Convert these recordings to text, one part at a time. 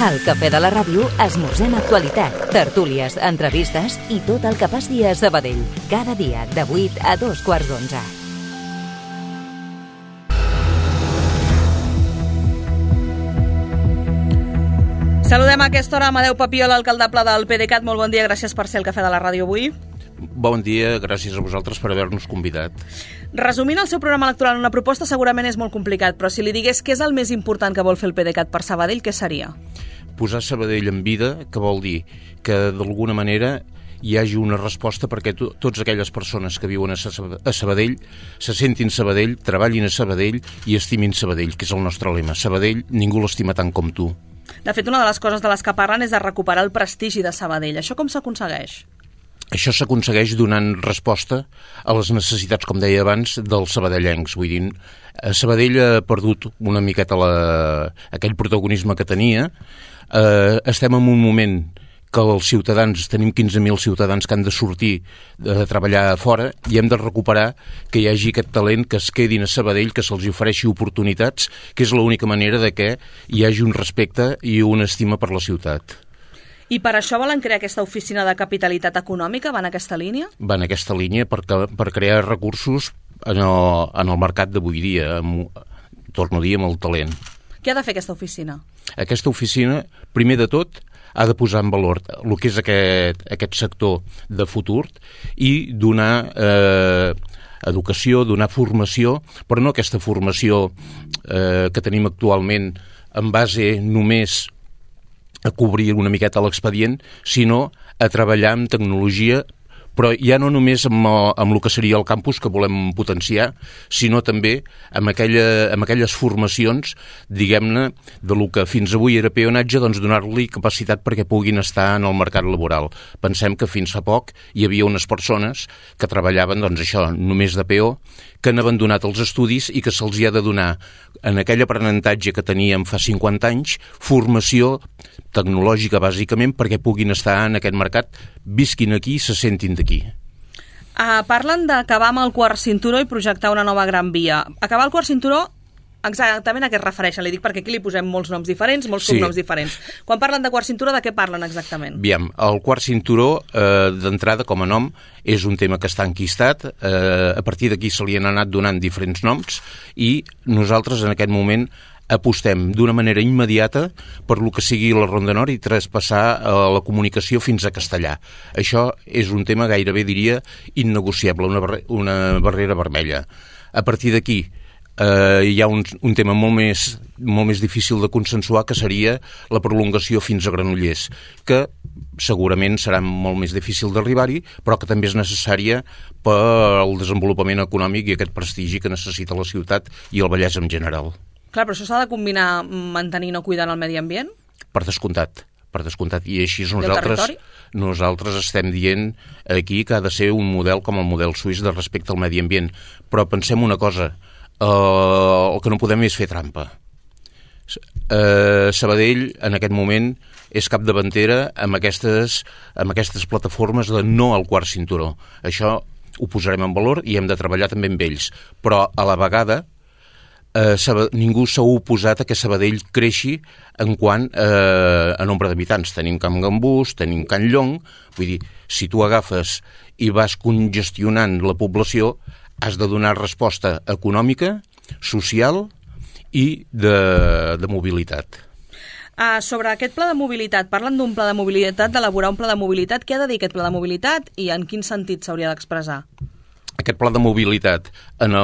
Al Cafè de la Ràdio esmorzem actualitat, tertúlies, entrevistes i tot el que passi a Sabadell. Cada dia de 8 a 2:15. Saludem a aquesta hora Amadeu Papiol, alcaldable del PDeCAT. Molt bon dia, gràcies per ser al Cafè de la Ràdio avui. Bon dia, gràcies a vosaltres per haver-nos convidat. Resumint el seu programa electoral en una proposta segurament és molt complicat, però si li digués què és el més important que vol fer el PDeCAT per Sabadell, què seria? Posar Sabadell en vida, que vol dir que d'alguna manera hi hagi una resposta perquè totes aquelles persones que viuen a Sabadell se sentin Sabadell, treballin a Sabadell i estimin Sabadell, que és el nostre lema. Sabadell, ningú l'estima tant com tu. De fet, una de les coses de les que parlen és de recuperar el prestigi de Sabadell. Això com s'aconsegueix? Això s'aconsegueix donant resposta a les necessitats, com deia abans, dels sabadellencs. Vull dir, Sabadell ha perdut una miqueta aquell protagonisme que tenia. Estem en un moment que els ciutadans, tenim 15.000 ciutadans que han de sortir a treballar a fora i hem de recuperar que hi hagi aquest talent, que es quedin a Sabadell, que se'ls ofereixi oportunitats, que és l'única manera de que hi hagi un respecte i una estima per la ciutat. I per això volen crear aquesta oficina de capitalitat econòmica? Va en aquesta línia? Va en aquesta línia per crear recursos en el mercat d'avui dia, torno a dir, amb el talent. Què ha de fer aquesta oficina? Aquesta oficina, primer de tot, ha de posar en valor el que és aquest sector de futur i donar educació, donar formació, però no aquesta formació que tenim actualment en base només a cobrir una miqueta l'expedient, sinó a treballar amb tecnologia, però ja no només amb el que seria el campus que volem potenciar, sinó també amb aquelles formacions, diguem-ne, de lo que fins avui era peonatge, doncs donar-li capacitat perquè puguin estar en el mercat laboral. Pensem que fins fa poc hi havia unes persones que treballaven, doncs això, només de peó, que han abandonat els estudis i que se'ls ha de donar, en aquell aprenentatge que teníem fa 50 anys, formació tecnològica, bàsicament, perquè puguin estar en aquest mercat, visquin aquí i se sentin d'aquí. Parlen d'acabar amb el quart cinturó i projectar una nova gran via. Acabar el quart cinturó, exactament a què es refereixen? Li dic perquè aquí li posem molts noms diferents, molts cognoms diferents. Quan parlen de quart cinturó, de què parlen exactament? Aviam, el quart cinturó, d'entrada, com a nom, és un tema que està enquistat. A partir d'aquí se li han anat donant diferents noms i nosaltres en aquest moment apostem d'una manera immediata per lo que sigui la Ronda Nord i traspassar la comunicació fins a Castellà. Això és un tema gairebé, diria, innegociable, una barrera vermella. A partir d'aquí hi ha un tema molt més difícil de consensuar, que seria la prolongació fins a Granollers, que segurament serà molt més difícil d'arribar-hi, però que també és necessària per al desenvolupament econòmic i aquest prestigi que necessita la ciutat i el Vallès en general. Clar, però això s'ha de combinar mantenint o cuidant el medi ambient? Per descomptat. I així nosaltres estem dient aquí que ha de ser un model com el model suís de respecte al medi ambient. Però pensem una cosa, el que no podem és fer trampa. Sabadell, en aquest moment, és capdavantera amb aquestes plataformes de no al quart cinturó. Això ho posarem en valor i hem de treballar també amb ells. Però a la vegada ningú s'ha oposat a que Sabadell creixi en quant a nombre d'habitants. Tenim Can Gambús, tenim Can Llong, vull dir, si tu agafes i vas congestionant la població, has de donar resposta econòmica, social i de mobilitat. Sobre aquest pla de mobilitat, parlen d'un pla de mobilitat, d'elaborar un pla de mobilitat. Què ha de dir aquest pla de mobilitat i en quin sentit s'hauria d'expressar? Aquest pla de mobilitat en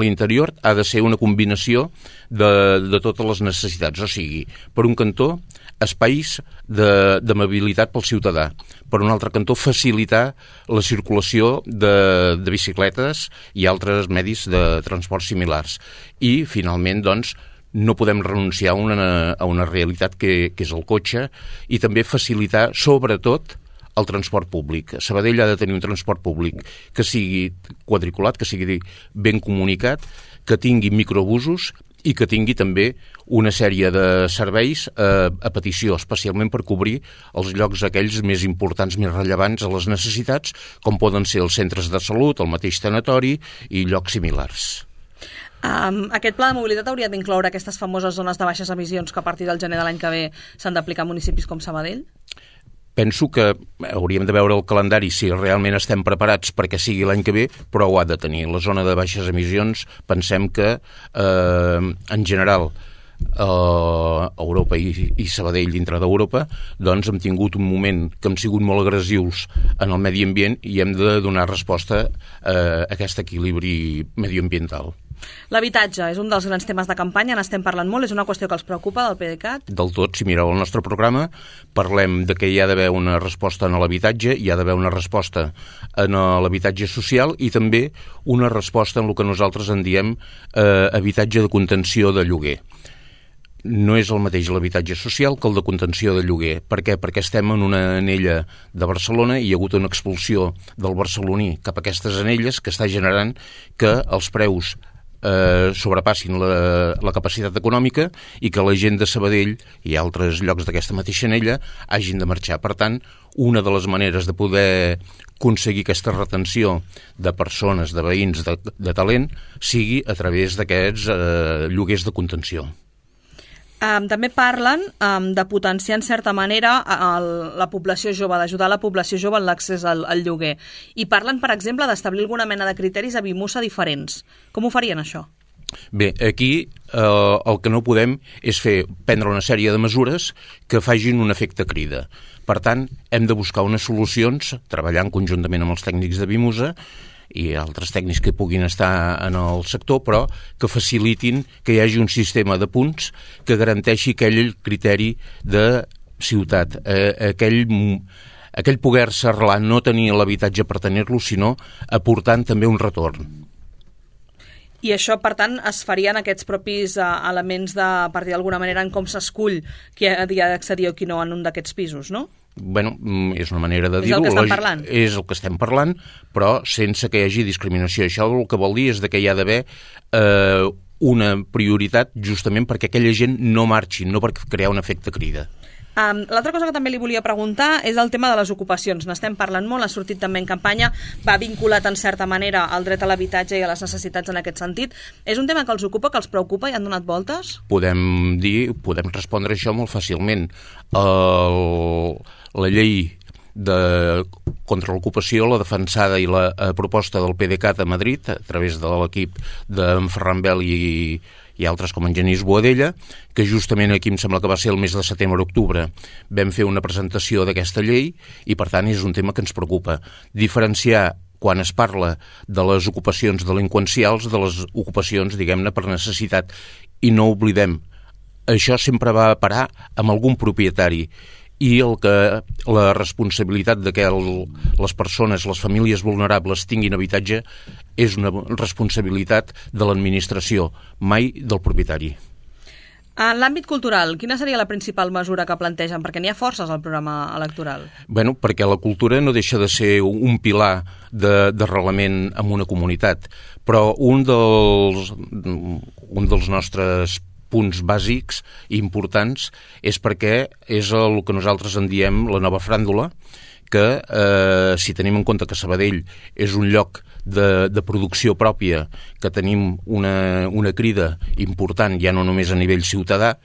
l'interior ha de ser una combinació de totes les necessitats. O sigui, per un cantó, espais de mobilitat pel ciutadà. Per un altre cantó, facilitar la circulació de bicicletes i altres medis de transport similars. I, finalment, doncs, no podem renunciar a una realitat que és el cotxe i també facilitar, sobretot, el transport públic. Sabadell ha de tenir un transport públic que sigui quadriculat, que sigui ben comunicat, que tingui microbusos i que tingui també una sèrie de serveis a petició, especialment per cobrir els llocs aquells més importants, més rellevants a les necessitats, com poden ser els centres de salut, el mateix tanatori i llocs similars. Aquest pla de mobilitat hauria d'incloure aquestes famoses zones de baixes emissions que a partir del gener de l'any que ve s'han d'aplicar a municipis com Sabadell? Penso que hauríem de veure el calendari si realment estem preparats perquè sigui l'any que ve, però ho ha de tenir. La zona de baixes emissions, pensem que en general Europa i Sabadell dintre d'Europa, doncs hem tingut un moment que hem sigut molt agressius en el medi ambient i hem de donar resposta a aquest equilibri medioambiental. L'habitatge és un dels grans temes de campanya, n'estem parlant molt, és una qüestió que els preocupa del PDeCAT? Del tot, si mireu el nostre programa, parlem de que hi ha d'haver una resposta en l'habitatge, hi ha d'haver una resposta en l'habitatge social i també una resposta en el que nosaltres en diem habitatge de contenció de lloguer. No és el mateix l'habitatge social que el de contenció de lloguer. Per què? Perquè estem en una anella de Barcelona i hi ha hagut una expulsió del barceloní cap a aquestes anelles que està generant que els preus sobrepassin la capacitat econòmica i que la gent de Sabadell i altres llocs d'aquesta mateixa anella hagin de marxar. Per tant, una de les maneres de poder aconseguir aquesta retenció de persones, de veïns, de talent, sigui a través d'aquests lloguers de contenció. També parlen de potenciar en certa manera la població jove, d'ajudar la població jove en l'accés al lloguer. I parlen, per exemple, d'establir alguna mena de criteris a Bimusa diferents. Com ho farien, això? Bé, aquí el que no podem és prendre una sèrie de mesures que facin un efecte crida. Per tant, hem de buscar unes solucions, treballant conjuntament amb els tècnics de Bimusa, i altres tècnics que puguin estar en el sector, però que facilitin que hi hagi un sistema de punts que garanteixi aquell criteri de ciutat, aquell poder-se arrelar, no tenir l'habitatge per tenir-lo, sinó aportant també un retorn. I això, per tant, es farien aquests propis elements de, per dir d'alguna manera, en com s'escull qui ha d'accedir o qui no en un d'aquests pisos, no? Bueno, és una manera de dir-ho. És el que estem parlant. És el que estem parlant, però sense que hi hagi discriminació. Això el que vol dir és que hi ha d'haver una prioritat justament perquè aquella gent no marxi, no per crear un efecte crida. L'altra cosa que també li volia preguntar és el tema de les ocupacions. N'estem parlant molt, ha sortit també en campanya, va vinculat en certa manera al dret a l'habitatge i a les necessitats en aquest sentit. És un tema que els ocupa, que els preocupa i han donat voltes? Podem respondre això molt fàcilment. La llei contra l'ocupació, la defensada i la proposta del PDeCAT a Madrid, a través de l'equip d'en Ferran Bel i altres com en Genís Boadella, que justament aquí em sembla que va ser el mes de setembre-octubre, vam fer una presentació d'aquesta llei i, per tant, és un tema que ens preocupa. Diferenciar, quan es parla de les ocupacions delinqüencials, de les ocupacions, diguem-ne, per necessitat. I no oblidem, això sempre va parar amb algun propietari i la responsabilitat de que les persones, les famílies vulnerables tinguin habitatge és una responsabilitat de l'administració, mai del propietari. En l'àmbit cultural, quina seria la principal mesura que plantegen? Perquè n'hi ha forces al programa electoral. Bueno, perquè la cultura no deixa de ser un pilar d'arrelament en una comunitat, però un dels nostres punts bàsics i importants és perquè és el que nosaltres en diem la nova fràndula, que si tenim en compte que Sabadell és un lloc de producció pròpia, que tenim una crida important, ja no només a nivell ciutadà,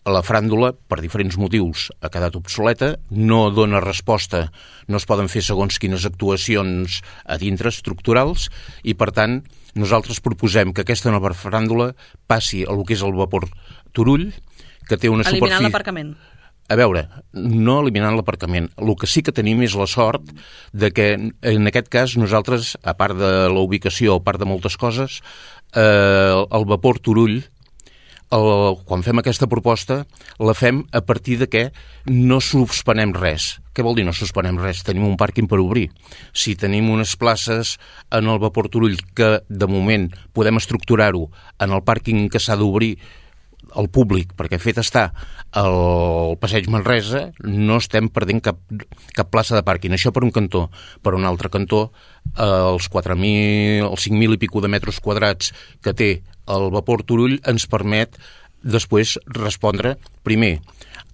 la fràndula, per diferents motius, ha quedat obsoleta, no dona resposta, no es poden fer segons quines actuacions a dintre estructurals i, per tant, nosaltres proposem que aquesta nova fràndula passi a lo que és el vapor Turull, que té una superfície... Eliminant l'aparcament. A veure, no eliminant l'aparcament. El que sí que tenim és la sort de que, en aquest cas, nosaltres, a part de la ubicació, a part de moltes coses, el vapor Turull, quan fem aquesta proposta, la fem a partir de que no suspenem res. Què vol dir no suspenem res? Tenim un pàrquing per obrir. Si tenim unes places en el vapor Turull que, de moment, podem estructurar-ho en el pàrquing que s'ha d'obrir al públic, perquè fet està el Passeig Manresa, no estem perdent cap plaça de pàrquing. Això per un cantó. Per un altre cantó, els 5.000 i pico de metres quadrats que té el vapor Turull ens permet després respondre, primer,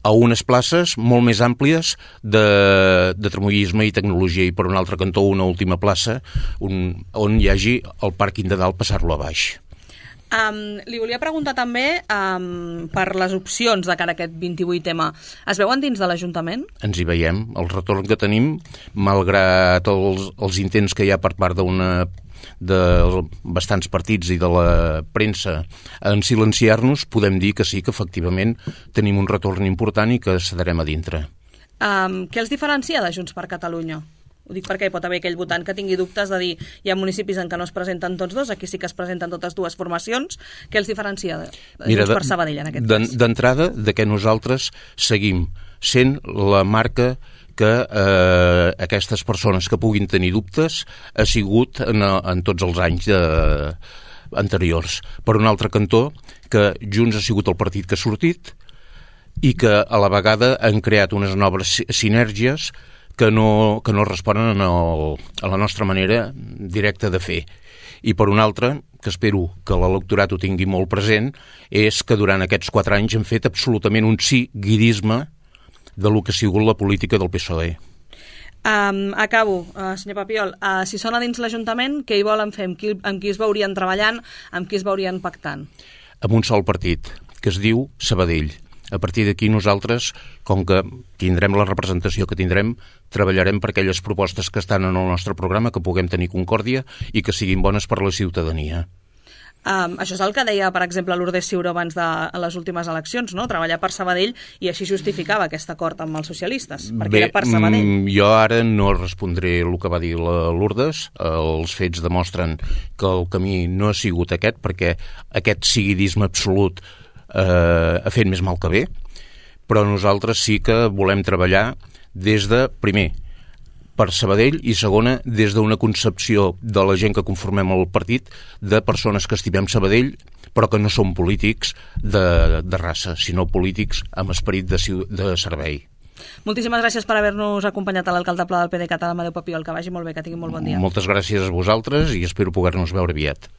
a unes places molt més àmplies de tramoyisme i tecnologia i per un altre cantó una última plaça on hi hagi el pàrquing de dalt passar-lo a baix. Li volia preguntar també per les opcions de cara a aquest 28M. Es veuen dins de l'Ajuntament? Ens hi veiem. El retorn que tenim, malgrat els intents que hi ha per part de bastants partits i de la premsa en silenciar-nos, podem dir que sí, que efectivament tenim un retorn important i que cederem a dintre. Què els diferencia de Junts per Catalunya? Ho dic perquè hi pot haver aquell votant que tingui dubtes de dir hi ha municipis en què no es presenten tots dos, aquí sí que es presenten totes dues formacions. Què els diferencia de Junts per Sabadell en aquest cas? D'entrada, que nosaltres seguim sent la marca que aquestes persones que puguin tenir dubtes ha sigut en tots els anys anteriors. Per un altre cantó, que Junts ha sigut el partit que ha sortit i que a la vegada han creat unes noves sinergies que no responen a la nostra manera directa de fer. I per un altre, que espero que l'electorat ho tingui molt present, és que durant aquests 4 anys hem fet absolutament un seguidisme de lo que ha sigut la política del PSOE. Acabo, senyor Papiol. Si són a dins l'Ajuntament, què hi volen fer? Amb qui es veurien treballant? Amb qui es veurien pactant? Amb un sol partit, que es diu Sabadell. A partir d'aquí nosaltres, com que tindrem la representació que tindrem, treballarem per aquelles propostes que estan en el nostre programa, que puguem tenir concòrdia i que siguin bones per a la ciutadania. Això és el que deia, per exemple, Lourdes Ciuró abans de les últimes eleccions, no? Treballar per Sabadell, i així justificava aquest acord amb els socialistes, perquè era per Sabadell. Jo ara no respondré el que va dir la Lourdes. Els fets demostren que el camí no ha sigut aquest, perquè aquest seguidisme absolut ha fet més mal que bé, però nosaltres sí que volem treballar des de, primer, per Sabadell, i segona, des d'una concepció de la gent que conformem el partit, de persones que estimem Sabadell, però que no són polítics de raça, sinó polítics amb esperit de servei. Moltíssimes gràcies per haver-nos acompanyat a l'alcalde Pla del PDeCAT, Amadeu Papiol. Que vagi molt bé, que tingui molt bon dia. Moltes gràcies a vosaltres i espero poder-nos veure aviat.